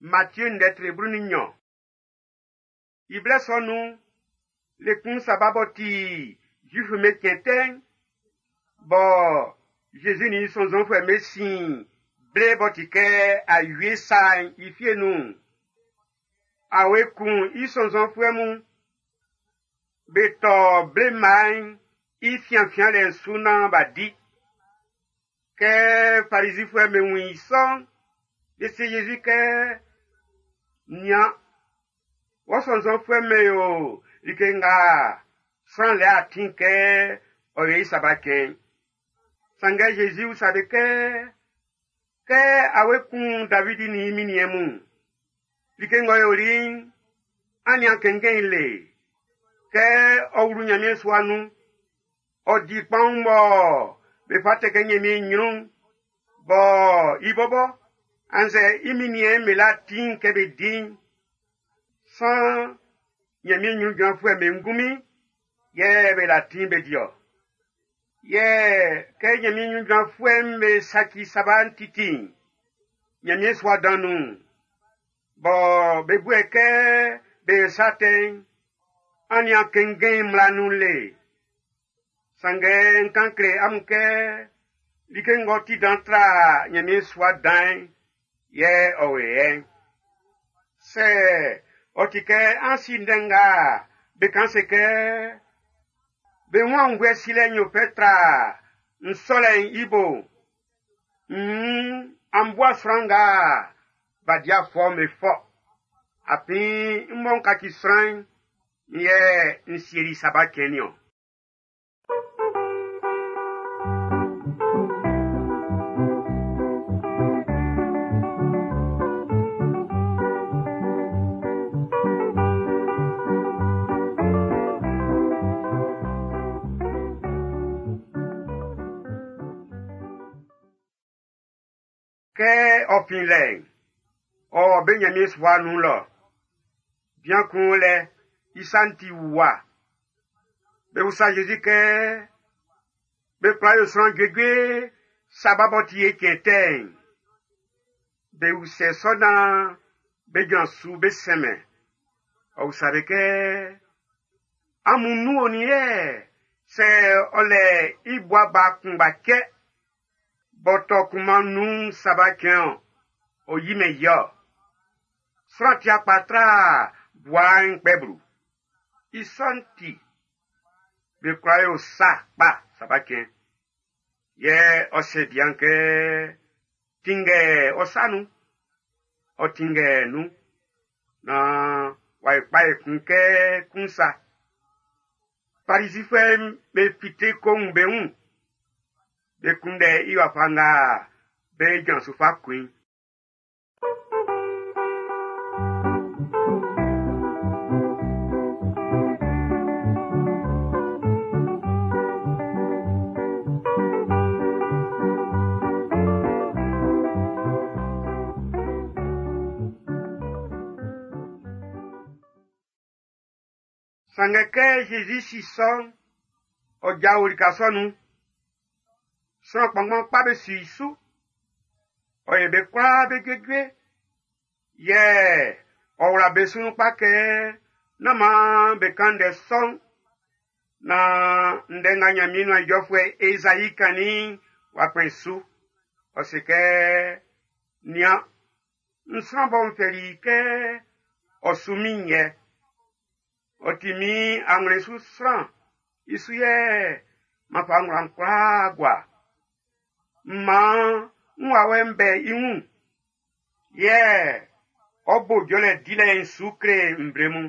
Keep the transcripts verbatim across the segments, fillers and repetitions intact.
Matthieu ndɛ tre blu ni nnyɔn. I blɛ sɔ nun'n, le kun saba b'ɔ ti Zuif'm be cɛn tɛ'n, bɔ Jésus nin i sɔnnzɔnfuɛ'm be sin ble b'ɔ ti kɛ awie sa'n i fie nun'n, awe kun i sɔnnzɔnfuɛ mun. Be tɔ ble mma'n i fianfianlɛ'n su naan b'a di. Kɛ Farizifuɛ'm be wun i sɔ'n, be se Jésus kɛ, Nian, wɔ sɔnnzɔnfuɛ'm be yo like nga sran lɛ atin kɛ ɔ yo i saba cɛn'n. Sanngɛ Jésus usa be kɛ, kɛ awe kun Davidi nin i minniɛn mun, like ng'ɔ yoli'n, an nian kɛnkɛn i le. Kɛ ɔ wlu Nyanmiɛn sua nun, ɔ di kpaun bɔ be fa tɛ kɛ Nyanmiɛn nyrun, bɔ i bɔbɔ, annzɛ i minniɛn'n be la ti'n kɛ be di'n, san Nyanmiɛn nyrun jranfuɛ'm be ngunmin yɛ be la ti'n be di-ɔ. Yɛ kɛ Nyanmiɛn nyrun jranfuɛ'm be saci saba'n titi'n, Nyanmiɛn sua dan nun'n, bɔ be bue kɛ be sa tɛ'n, an nian kɛnkɛn mmla nun le. Sanngɛ n kan kle amun kɛ like ng'ɔ ti dan tra Nyanmiɛn sua dan'n yɛ ɔ o yɛ. Sɛ ɔ ti kɛ an si ndɛ nga be kan se kɛ be wun aunnvuɛ silɛ'n yo fɛ tra nsɔlɛ'n i bo, nn an bua sran nga b'a di afɔ'n be fɔ. Afin n mɔ n kaci sran'n, n yɛ n sieli saba cɛn niɔn. Kɛ ɔ fin lɛ'n, ɔ be Nyanmiɛn sua nun lɔ. Bian kun o lɛ, i sa'n ti wuwa. Be usa Jésus kɛ, be kwla yo sran juejue saba b'ɔ ti e cɛn tɛ'n. Be usɛ sɔ naan be jran su be sɛmɛ. Ɔ usa be kɛ, amun nun onin yɛ sɛ ɔ lɛ i bua ba kunngba cɛ, b'ɔ tɔ kunman nun saba cɛn-ɔn, ɔ yimɛn i-ɔ. Sran ti akpa tra bua'n kpɛ blu. I sɔ'n ti, be kwla yo sa kpa saba cɛn. Yɛ ɔ se bian kɛ, tinngɛ ɔ sa nun. Ɔ tinngɛ nun. Naan w'a yi kpa ekun kɛ kun sa. Farizifuɛ'm be fite ko wun be wun. Be kunndɛ i wafa nga be jran su fa kun i. Sanngɛ kɛ Jésus si sɔ'n, ɔ jao lika sɔ nun. Sran kpanngban kpa be su i su. Ɔ yɛ be kwlaa be juejue. Yɛ ɔ wla be su nun kpa kɛ nán maan be kan ndɛ sɔ'n, na ndɛ nga Nyanmiɛn nuan ijɔfuɛ Ezayi kannin'n w'a kpɛn su. Ɔ se kɛ, Nian, n sran bɔ n fɛli i kɛ ɔ su min yɛ. Ɔ ti min anwlɛn su sran, i su yɛ m'an fa ngwlan kwlaa gua. Maan n wawɛ'n bɛ i wun, yɛ ɔ bo jɔlɛ dilɛ'n su kle nvle mun.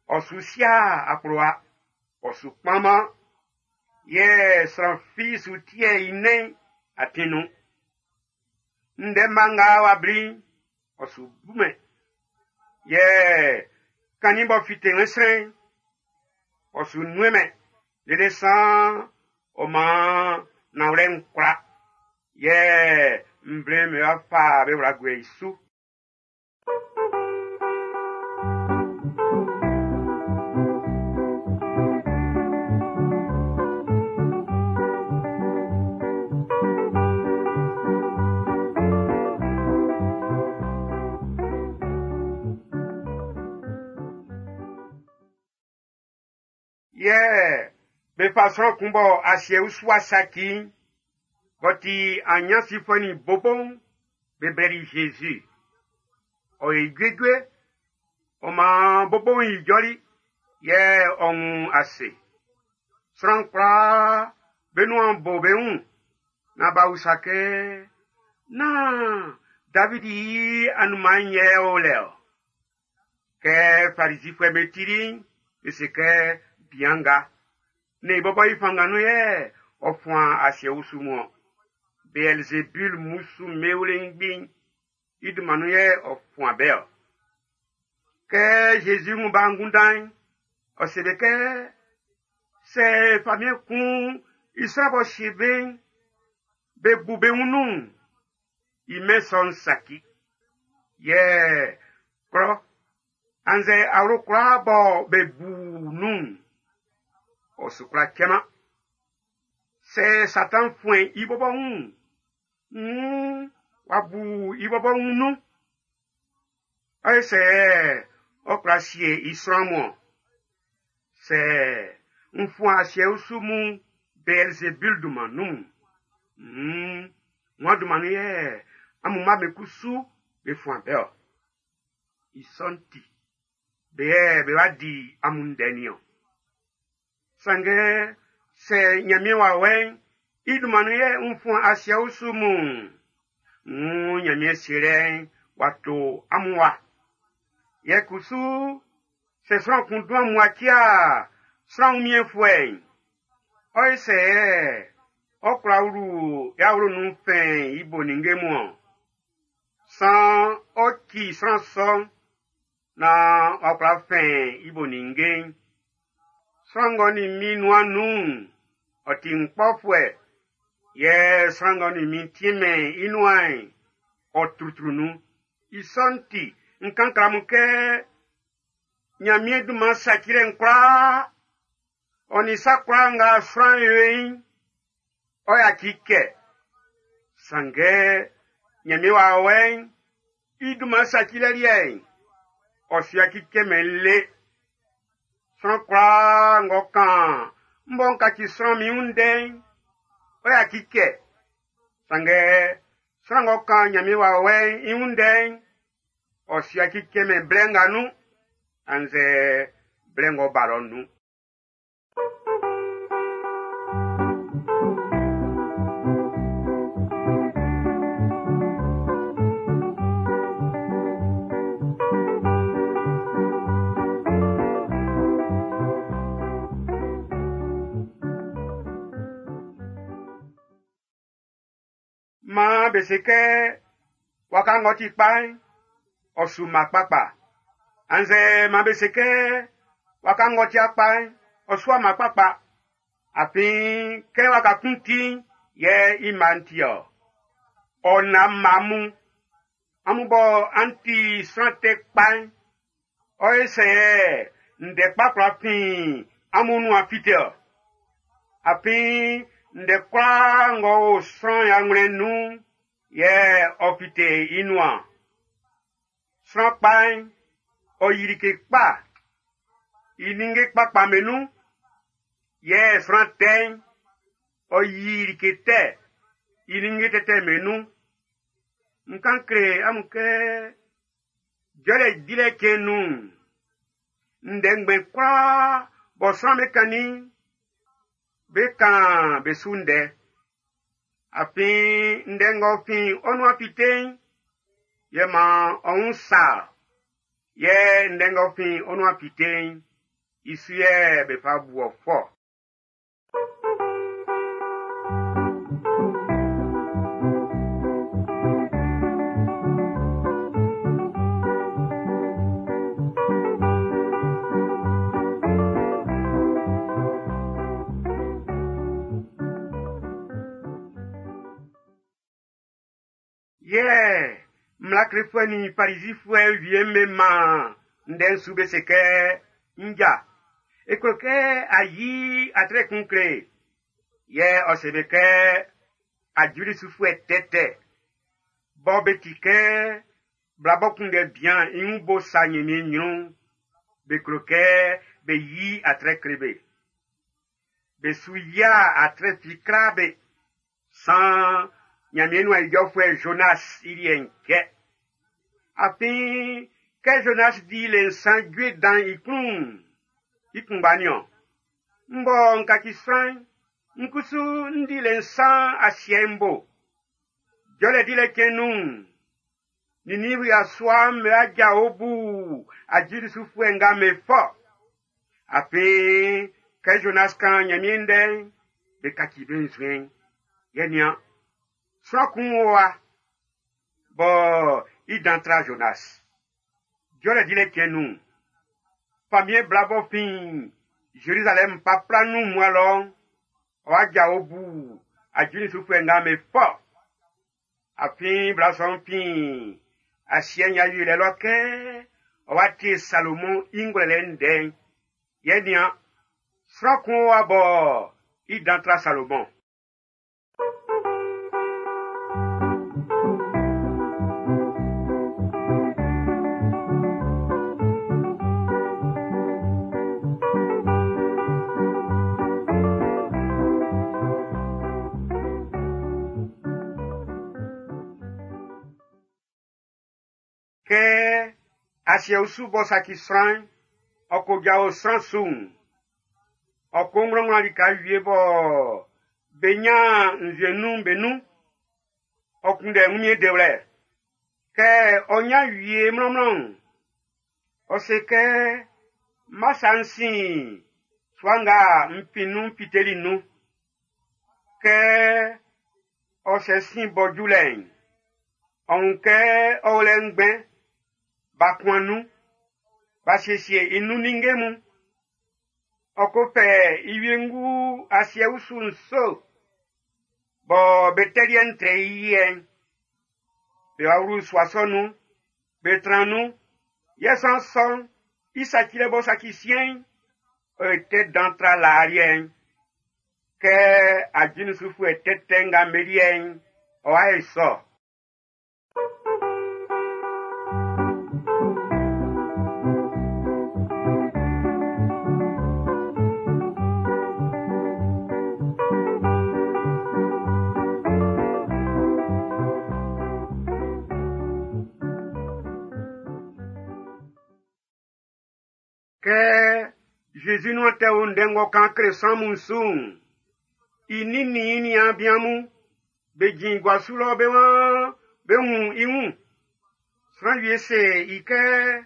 Ɔ su sia akplowa, ɔ su kpanman, yɛ sran fi su tiɛ i nɛn atin nun. Ndɛ mma nga w'a bli'n, ɔ su bumɛn. Yɛ kannin b'ɔ fite wɛnsrɛn'n, ɔ su nuɛmɛn lele san ɔ maan nanwlɛ'n kwla. Yɛ nvle'm be wa fa be wla guɛ i su. Yɛ be fa sran kun bɔ asiɛ usua saci'n, b'ɔ ti anyansifuɛ nin bobo'n, be blɛli Jésus. Ɔ ye juejue, ɔ maan bobo'n ijɔli, yɛ ɔ wun ase. Sran kwlaa be nuan bo be wun, na b'a usa kɛ, “Na Davidi i anunman'n yɛ ɔ o lɛ-ɔ?” Kɛ Farisifuɛ'm be tili'n, be se kɛ, “Bian nga, ne i bɔbɔ i fanngan nun yɛ ɔ fuan asiɛ usu mun-ɔn. Beelzebul musu'm be wlengbi'n, i dunman nun yɛ ɔ fuan be-ɔ.” Kɛ Jésus wun b'a angunndan'n, ɔ se be kɛ, sɛ famiɛn kun i sran b'ɔ sie be'n, be bu be wun nun'n, i mɛn sɔ'n saci. Yɛ klɔ annzɛ awlo kwlaa bɔ be bu nun'n, ɔ su kwla cɛman. Sɛ Satan fuɛn i bɔbɔ wun'n, wuun w'a bu i bɔbɔ wun nun. Ɔyɛ sɛ ɔ kwla sie i sran mun-ɔn. Sɛ n fuan asiɛ usu mun Beelzebul dunman nun'n, hmm, ŋua dunman nun yɛ amun mma be kusu be fuan be-ɔ. I sɔ'n ti, be yɛ be wa di amun ndɛ nin-ɔn. Sanngɛ sɛ Nyanmiɛn wawɛ'n i dunman nun yɛ n fuan asiɛ usu mun'n, wuun Nyanmiɛn sielɛ'n w'a to amun wa. Yɛ kusu, sɛ sran kun dun amun atia sran wunmiɛnfuɛ'n, ɔyɛ sɛ ɔ kwla wlu i awlo nun fɛn i bo ninnge mun-ɔn. San ɔ ci sran sɔ'n na ɔ kwla fɛn i bo ninnge'n. Sran ng'ɔ nin min nuan nun'n, ɔ ti n kpɔfuɛ. Yɛ sran ng'ɔ nin min tiemɛn i nuan'n, ɔ trutru nun. I sɔ'n ti, n kan kle amun kɛ Nyanmiɛn dunman sacilɛ'n kwlaa, ɔ nin sa kwlaa nga sran yo i'n, ɔ yaci kɛ. Sanngɛ Nyanmiɛn wawɛ'n i dunman sacilɛ liɛ'n, ɔ su yaci cɛmɛn le. Sran kwlaa ng'ɔ kan m bɔ n kaci sran min wun ndɛ'n, ɔ yaci kɛ. Sanngɛ sran ng'ɔ kan Nyanmiɛn wawɛ'n i wun ndɛ'n, ɔ su yaci cɛmɛn blɛ nga nun, annzɛ blɛ ng'ɔ ba lɔ'n nun. Maan be se kɛ waka ng'ɔ ti kpa'n, ɔ su mma kpakpa. Annzɛ maan be se kɛ waka ng'ɔ ti kpa'n, ɔ su mma kpakpa. Afin kɛ waka kun ti'n, yɛ i mma'n ti-ɔ. Ɔ na mma mun, amun bɔ an ti sran tɛ kpa'n, ɔ ye sɛ ndɛ kpa kwla fin amun nuan fite-ɔ. Afin ndɛ kwlaa ng'ɔ o sran i anwlɛn'n nun'n, yɛ ɔ fite i nuan. Sran kpa'n, ɔ yi like kpa i ninnge kpakpa be nun. Yɛ sran tɛ'n, ɔ yi like tɛ i ninnge tɛtɛ be nun. N kan kle amun kɛ jɔlɛ dilɛ cɛn nun'n, ndɛ ngbɛn kwlaa bɔ sran be kannin'n, be kan be su ndɛ. Afin ndɛ ng'ɔ fin ɔ nuan fite'n, yɛ maan ɔ wun sa-ɔ. Yɛ ndɛ ng'ɔ fin ɔ nuan fite'n, i su yɛ be fa bu ɔ fɔ. Yɛ mmla klefuɛ nin Farisifuɛ wie'm be maan ndɛ'n su be se kɛ, Nja, e klo kɛ a yi atrɛ kun kle e. Yɛ ɔ se be kɛ, ajulisufuɛ tɛtɛ, bɔ be ti kɛ bla bɔ kunndɛ bian i wun bo sa Nyanmiɛn nyrun'n, be klo kɛ be yi atrɛ kle be. Be su yia atre fi kla be. San Ɲanmiɛn nuan ijɔfuɛ Jonas i liɛ'n kɛ. Afin kɛ Jonas di le nsan jue dan i klun'n, i kunngba niɔn. N bɔ n kaci sran'n, n kusu n di le nsan asiɛ'n bo. Jɔlɛ dilɛ cɛn nun'n, Ninivu yasua'm be aja obu ajulisufuɛ nga me fɔ. Afin kɛ Jonas kan Ɲanmiɛn ndɛ'n, be kaci be nzuɛn'n. Yɛ nian, sran kun wo wa, bɔ i dan tra Jonas. Jɔlɛ dilɛ cɛn nun'n, famiɛn bla bɔ fin Jerusalɛm papla nun mua lɔ'n, ɔ aja obu ajulisufuɛ nga me fɔ. Afin bla sɔ'n fin asiɛ'n awieliɛ lɔ kɛ ɔ wa tie Salomɔn i ngwlɛlɛ ndɛ'n. Yɛ nian, sran kun wa bɔ i dan tra Salomɔn. Kɛ asiɛ usu bɔ saci sran'n, ɔ ko jao sran su'n, ɔ ko ŋlɔŋlɔ lika wie bɔ be nya nzue nun be nun, ɔ kunndɛ wunmiɛn dewlɛ. Kɛ ɔ nya wie mlɔnmlɔn'n, ɔ se kɛ masa n sin sua nga n fin nun fiteli nun. Kɛ ɔ sɛ sin bɔ ju lɛ'n, ɔ wun kɛ ɔ o lɛ ngbɛn, b'a kuan nun, b'a siesie i nun ninnge mun. Ɔ ko fɛ i wiengu asiɛ usu nso, bɔ be tɛliɛ'n trɛ i yɛ'n. Be wa wlu sua sɔ nun, be tran nun, yɛ sran sɔ'n, i sacilɛ b'ɔ saci siɛn'n, ɔ ye tɛ dan tra laa liɛ'n. Kɛ ajulisufuɛ tɛtɛ nga be liɛ'n, ɔ wa ye sɔ. Kɛ Jésus nuan tɛ wo ndɛ ng'ɔ kan kle sran mun su'n, i nin nin i niaan bian mun, be jin gua su lɔ be waan be wun i wun. Sran wie se i kɛ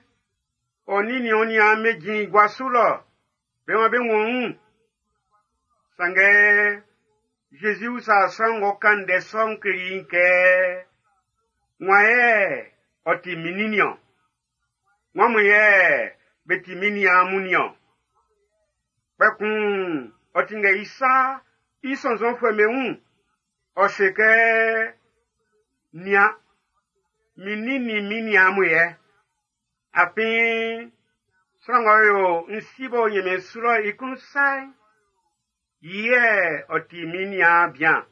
ɔ nin nin ɔ niaan be jin gua su lɔ, be waan be wun wun. Sanngɛ Jésus usa sran ng'ɔ kan ndɛ sɔ'n kle i'n kɛ, wan yɛ ɔ ti min nin niɔn? Wan mun yɛ be ti min niaan mun niɔn? Kpɛkun ɔ tinngɛ i sa i sɔnnzɔnfuɛ'm be wun. Ɔ se kɛ, nian, min nin nin min niaan mun yɛ. Afin sran ng'ɔ yo n si b'ɔ Ɲanmiɛn su lɔ i klun sa'n, yɛ ɔ ti min niaan bian,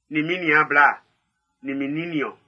nin min niaan bla, nin min nin niɔn.